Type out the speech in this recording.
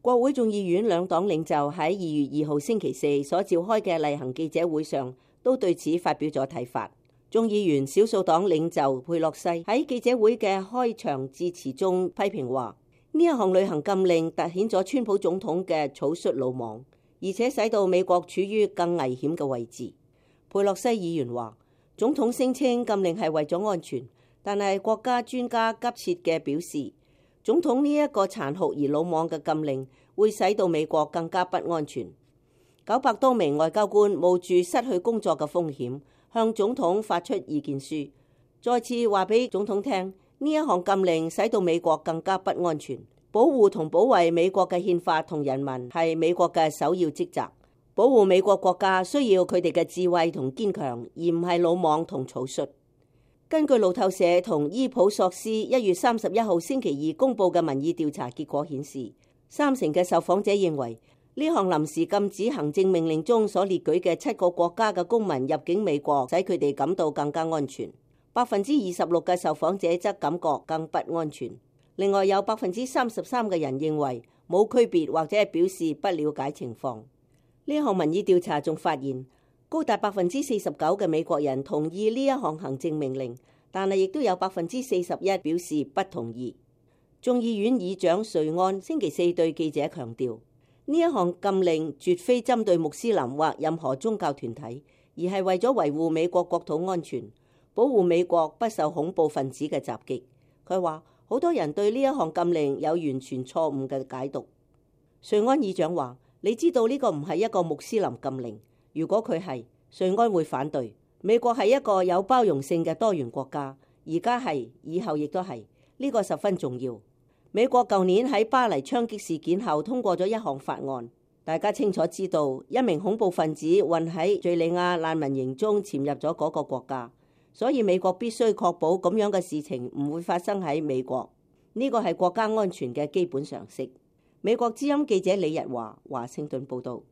國會眾議院兩黨領袖喺2月2號星期四所召開嘅例行記者會上，都對此發表咗睇法。眾議員少數黨領袖佩洛西喺記者會嘅開場致辭中批評話，呢一項旅行禁令凸顯咗川普總統嘅草率魯莽，而且使到美國處於更危險嘅位置。佩洛西議員話，總統聲稱禁令係為咗安全，但係國家專家急切嘅表示，總統呢一個殘酷而魯莽嘅禁令會使到美國更加不安全。900多名外交官冒住失去工作嘅風險，向總統發出意見書，再次話俾總統聽，呢一項禁令使到美國更加不安全。保護同保衛美國嘅憲法同人民係美國嘅首要職責。保護美國國家需要佢哋嘅智慧同堅強，而唔係魯莽同草率。根據路透社同伊普索斯1月31號星期二公佈嘅民意調查結果顯示，30%嘅受訪者認為呢項臨時禁止行政命令中所列舉嘅7個國家嘅公民入境美國，使佢哋感到更加安全。26%嘅受訪者則感覺更不安全。另外有33%嘅人認為冇區別，或者係表示不了解情況。呢項民意調查仲發現，高達49%嘅美國人同意呢一項行政命令，但係亦都有41%表示不同意。眾議院議長瑞安星期四對記者強調，呢一項禁令絕非針對穆斯林或任何宗教團體，而係為咗維護美國國土安全，保護美國不受恐怖分子嘅襲擊。佢話好多人對呢一項禁令有完全錯誤嘅解讀。瑞安議長話，你知道呢個唔係一個穆斯林禁令，如果佢係，瑞安會反對。美國係一個有包容性嘅多元國家，而家係，以後亦都係，呢個十分重要。美國舊年喺巴黎槍擊事件後通過咗一項法案，大家清楚知道一名恐怖分子混喺敘利亞難民營中潛入咗嗰個國家，所以美國必須確保咁樣嘅事情唔會發生喺美國。呢個係國家安全嘅基本常識。美國之音記者李日華，華盛頓報道。